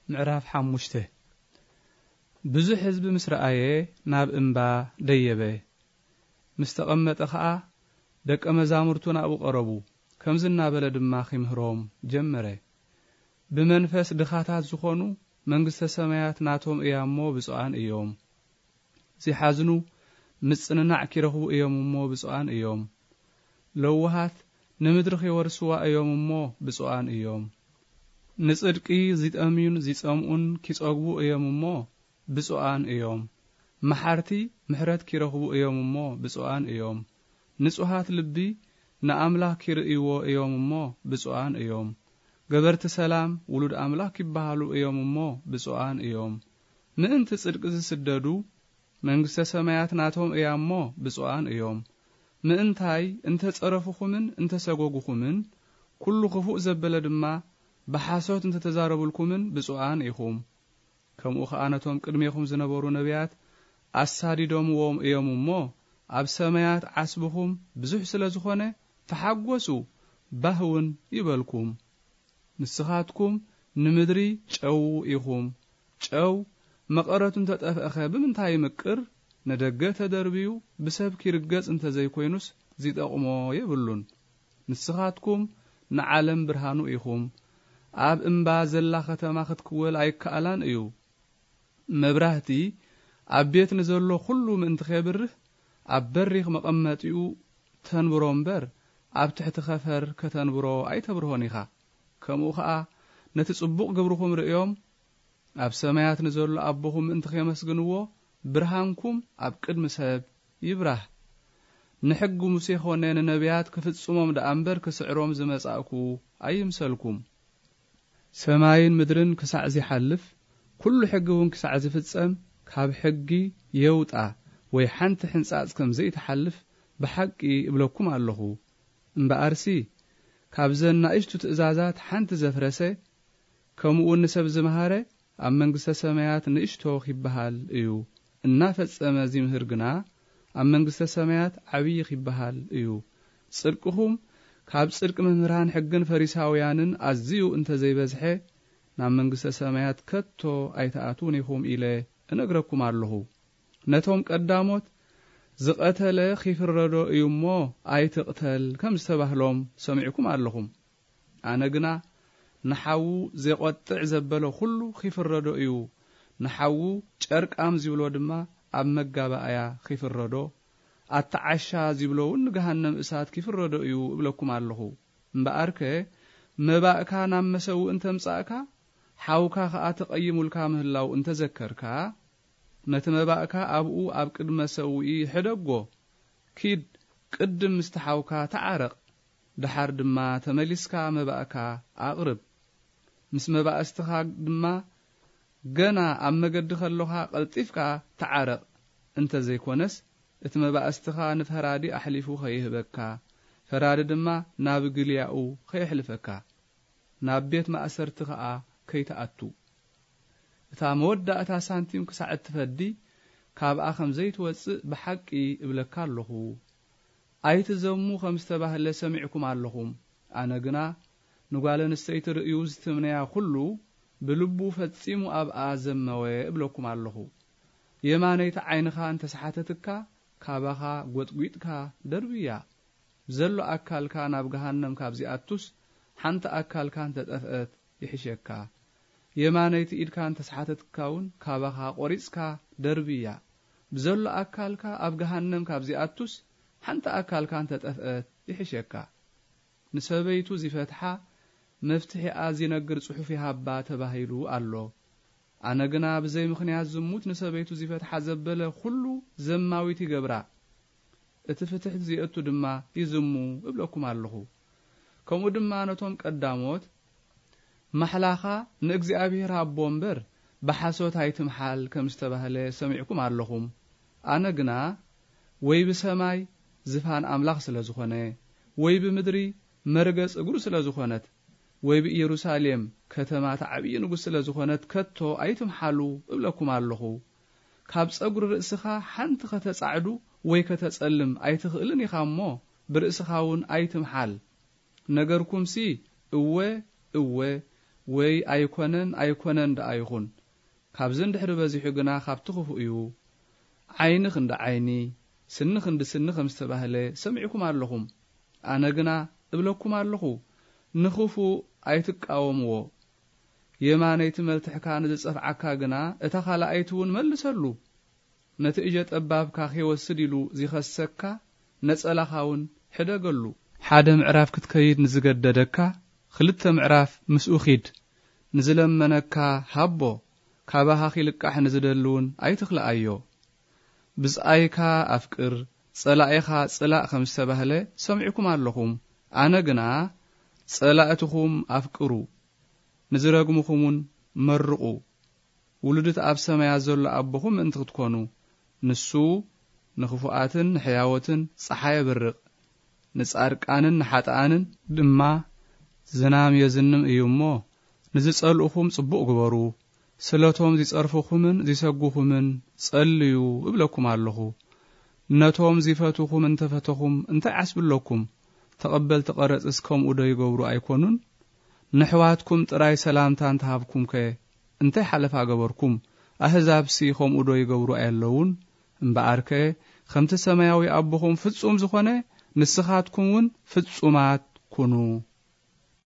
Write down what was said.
ምዕራፍ ሓሙሽተ። ብዙሕ ህዝቢ ምስ ረኣየ ናብ እምባ ደየበ። ምስ ተቐመጠ ኸኣ ደቀ መዛሙርቱ ናብኡ ቀረቡ። ከምዚ እናበለ ድማ ኺምህሮም ጀመረ። ብመንፈስ ድኻታት ዝኾኑ መንግስተ ሰማያት ናቶም እያ እሞ ብፁዓን እዮም። ዚሓዝኑ ምጽንናዕ ኪረኽቡ እዮም እሞ ብፁዓን እዮም። ለውሃት ንምድሪ ኺወርስዋ እዮም እሞ ብፁዓን እዮም። ንጽድቂ ዚጠምዩን ዚጸምኡን ኪጸግቡ እዮም እሞ ብፁዓን እዮም። መሓርቲ ምሕረት ኪረኽቡ እዮም እሞ ብፁዓን እዮም። ንጹሃት ልቢ ንኣምላኽ ኪርእይዎ እዮም እሞ ብፁዓን እዮም። ገበርቲ ሰላም ውሉድ ኣምላኽ ኪበሃሉ እዮም እሞ ብፁዓን እዮም። ምእንቲ ጽድቂ ዚስደዱ መንግስተ ሰማያት ናቶም እያ እሞ ብፁዓን እዮም። ምእንታይ እንተ ጸረፉኹምን እንተ ሰጎጉኹምን፣ ኩሉ ክፉእ ዘበለ ድማ ብሓሶት እንተ ተዛረቡልኩምን ብፁዓን ኢኹም። ከምኡ ኸኣ ነቶም ቅድሜኹም ዝነበሩ ነቢያት ኣሳዲዶምዎም እዮም እሞ፣ ኣብ ሰማያት ዓስብኹም ብዙሕ ስለ ዝኾነ፣ ተሓጎሱ፣ ባህ እውን ይበልኩም። ንስኻትኩም ንምድሪ ጨው ኢኹም። ጨው መቐረቱ እንተ ጠፍአኸ ብምንታይ ይምቅር? ንደገ ተደርብዩ ብሰብ ኪርገጽ እንተ ዘይኮይኑስ ዚጠቕሞ የብሉን። ንስኻትኩም ንዓለም ብርሃኑ ኢኹም። ኣብ እምባ ዘላ ኸተማ ክትክወል ኣይከኣላን እዩ። መብራህቲ ኣብ ቤት ንዘሎ ኹሉ ምእንቲ ኼብርህ፣ ኣብ በሪኽ መቐመጢኡ ተንብሮ እምበር፣ ኣብ ትሕቲ ኸፈር ከተንብሮ ኣይተብርሆን ኢኻ። ከምኡ ኸኣ ነቲ ጽቡቕ ግብርኹም ርእዮም፣ ኣብ ሰማያት ንዘሎ ኣቦኹም ምእንቲ ኼመስግንዎ፣ ብርሃንኩም ኣብ ቅድሚ ሰብ ይብራህ። ንሕጊ ሙሴ ኾነ ንነቢያት ክፍጽሞም ደኣ እምበር ክስዕሮም ዝመጻእኩ ኣይምሰልኩም። ሰማይን ምድርን ክሳዕ ዚሓልፍ፣ ኩሉ ሕጊ እውን ክሳዕ ዝፍጸም፣ ካብ ሕጊ የውጣ ወይ ሓንቲ ሕንጻጽ ከም ዘይትሓልፍ ብሓቂ እብለኩም ኣለኹ። እምበኣርሲ፣ ካብዘን ናእሽቱ ትእዛዛት ሓንቲ ዘፍረሰ፣ ከምኡውን ንሰብ ዝመሃረ፣ ኣብ መንግስተ ሰማያት ንእሽቶ ኺበሃል እዩ። እናፈጸመ ዚምህር ግና፣ ኣብ መንግስተ ሰማያት ዓብዪ ኺበሃል እዩ። ጽድቅኹም ካብ ጽድቂ መምህራን ሕግን ፈሪሳውያንን ኣዝዩ እንተ ዘይበዝሐ፣ ናብ መንግስተ ሰማያት ከቶ ኣይትኣትዉን ኢኹም ኢለ እነግረኩም ኣለኹ። ነቶም ቀዳሞት፣ "ዝቐተለ ኺፍረዶ እዩ እሞ ኣይትቕተል" ከም ዝተባህሎም ሰሚዕኩም ኣለኹም። ኣነ ግና፣ "ንሓዉ ዜቖጥዕ ዘበለ ኹሉ ኺፍረዶ እዩ፣ ንሓዉ ጨርቃም ዚብሎ ድማ ኣብ መጋባእያ ኺፍረዶ፣ ኣታ ዓሻ ዚብሎ እውን ንገሃነም እሳት ኪፍረዶ እዩ" እብለኩም ኣለኹ። እምበኣርከ፣ መባእካ ናብ መሰውኢ እንተ ኣምጻእካ፣ ሓውካ ኸኣ ተቐይሙልካ ምህላው እንተ ዘከርካ፣ ነቲ መባእካ ኣብኡ ኣብ ቅድሚ መሰውኢ ሕደጎ። ኪድ፣ ቅድም ምስቲ ሓውካ ተዓረቕ፣ ደሓር ድማ ተመሊስካ መባእካ ኣቕርብ። ምስ መባእስትኻ ድማ ገና ኣብ መገዲ ከሎኻ ቀልጢፍካ ተዓረቕ፣ እንተ ዘይኮነስ እቲ መባእስትኻ ንፈራዲ ኣሕሊፉ ኸይህበካ፣ ፈራዲ ድማ ናብ ግልያኡ ኸየሕልፈካ፣ ናብ ቤት ማእሰርቲ ኸኣ ከይትኣቱ። እታ መወዳእታ ሳንቲም ክሳዕ እትፈዲ፣ ካብኣ ኸም ዘይትወጽእ ብሓቂ እብለካ ኣለኹ። ኣይትዘሙ ከም ዝተባህለ ሰሚዕኩም ኣለኹም። ኣነ ግና፣ ንጓል ኣንስተይቲ ርእዩ ዝትምነያ ኹሉ፣ ብልቡ ፈጺሙ ኣብኣ ዘመወ እብለኩም ኣለኹ። የማነይቲ ዓይንኻ እንተ ሰሓተትካ፣ ካባኻ ጐጥጒጥካ ደርብያ። ብዘሎ ኣካልካ ናብ ገሃነም ካብ ዚኣቱስ፣ ሓንቲ ኣካልካ እንተ ጠፍአት ይሕሸካ። የማነይቲ ኢድካ እንተ ሰሓተትካ እውን፣ ካባኻ ቈሪጽካ ደርብያ። ብዘሎ ኣካልካ ኣብ ገሃነም ካብ ዚኣቱስ፣ ሓንቲ ኣካልካ እንተ ጠፍአት ይሕሸካ። ንሰበይቱ ዚፈትሓ፣ መፍትሒኣ ዚነግር ጽሑፍ ይሃባ ተባሂሉ ኣሎ። ኣነ ግና ብዘይ ምኽንያት ዝሙት ንሰበይቱ ዚፈትሓ ዘበለ ኹሉ ዘማዊት ይገብራ፣ እቲ ፍትሕ ዚእቱ ድማ ይዝሙ እብለኩም ኣለኹ። ከምኡ ድማ ነቶም ቀዳሞት፣ "ማሕላኻ ንእግዚኣብሔር ሃቦ እምበር፣ ብሓሶት ኣይትምሓል" ከም ዝተባህለ ሰሚዕኩም ኣለኹም። ኣነ ግና፣ ወይ ብሰማይ ዝፋን ኣምላኽ ስለ ዝኾነ፣ ወይ ብምድሪ መርገጽ እግሩ ስለ ዝኾነት፣ ወይ ብኢየሩሳሌም ከተማ እቲ ዓብዪ ንጉስ ስለ ዝኾነት፣ ከቶ ኣይትምሓሉ እብለኩም ኣለኹ። ካብ ጸጉሪ ርእስኻ ሓንቲ ኸተጻዕዱ ወይ ከተጸልም ኣይትኽእልን ኢኻ እሞ፣ ብርእስኻ እውን ኣይትምሓል። ነገርኩምሲ፣ እወ፣ እወ፣ ወይ ኣይኮነን ኣይኮነን ደኣ ይኹን፣ ካብዚ እንድሕሪ በዚሑ ግና ካብቲ ክፉእ እዩ። ዓይኒ ክንዲ ዓይኒ፣ ስኒ ክንዲ ስኒ ከም ዝተባህለ ሰሚዕኩም ኣለኹም። ኣነ ግና እብለኩም ኣለኹ፣ ንኽፉእ ኣይትቃወምዎ። የማነይቲ መልትሕካ ንዝጸፍዓካ ግና እታ ካልኣይቲ እውን መልሰሉ። ነቲ እጀ ጠባብካ ኺወስድ ኢሉ ዚኸሰካ ነጸላኻ እውን ሕደገሉ። ሓደ ምዕራፍ ክትከይድ ንዝገደደካ ክልተ ምዕራፍ ምስኡ ኺድ። ንዝለመነካ ሃቦ፣ ካባኻ ኺልቃሕ ንዝደሊ እውን ኣይትኽልኣዮ። ብጻይካ ኣፍቅር፣ ጸላኢኻ ጽላእ ከም ዝተባህለ ሰሚዕኩም ኣለኹም። ኣነ ግና ጸላእትኹም ኣፍቅሩ፣ ንዝረግምኹምውን መርቑ። ውሉድት ኣብ ሰማያት ዘሎ ኣቦኹም ምእንቲ ክትኮኑ፣ ንሱ ንኽፉኣትን ንሕያዎትን ጸሓይ የብርቕ፣ ንጻድቃንን ንሓጥኣንን ድማ ዝናም የዝንም እዩ እሞ፣ ንዝጸልኡኹም ጽቡቕ ግበሩ፣ ስለቶም ዚጸርፉኹምን ዚሰጉኹምን ጸልዩ እብለኩም ኣለኹ። ነቶም ዚፈትኹም እንተፈተኹም እንታይ ዓስቢ ኣለኩም? ተቐበልቲ ቀረጽስ ከምኡ ዶ ይገብሩ ኣይኮኑን? ነሕዋትኩም ጥራይ ሰላምታ እንተሃብኩምከ እንታይ ሓለፋ ገበርኩም? ኣህዛብሲ ከምኡ ዶ ይገብሩ ኣየለዉን? እምበኣርከ ከምቲ ሰማያዊ ኣቦኹም ፍጹም ዝኾነ ንስኻትኩም እውን ፍጹማት ኩኑ።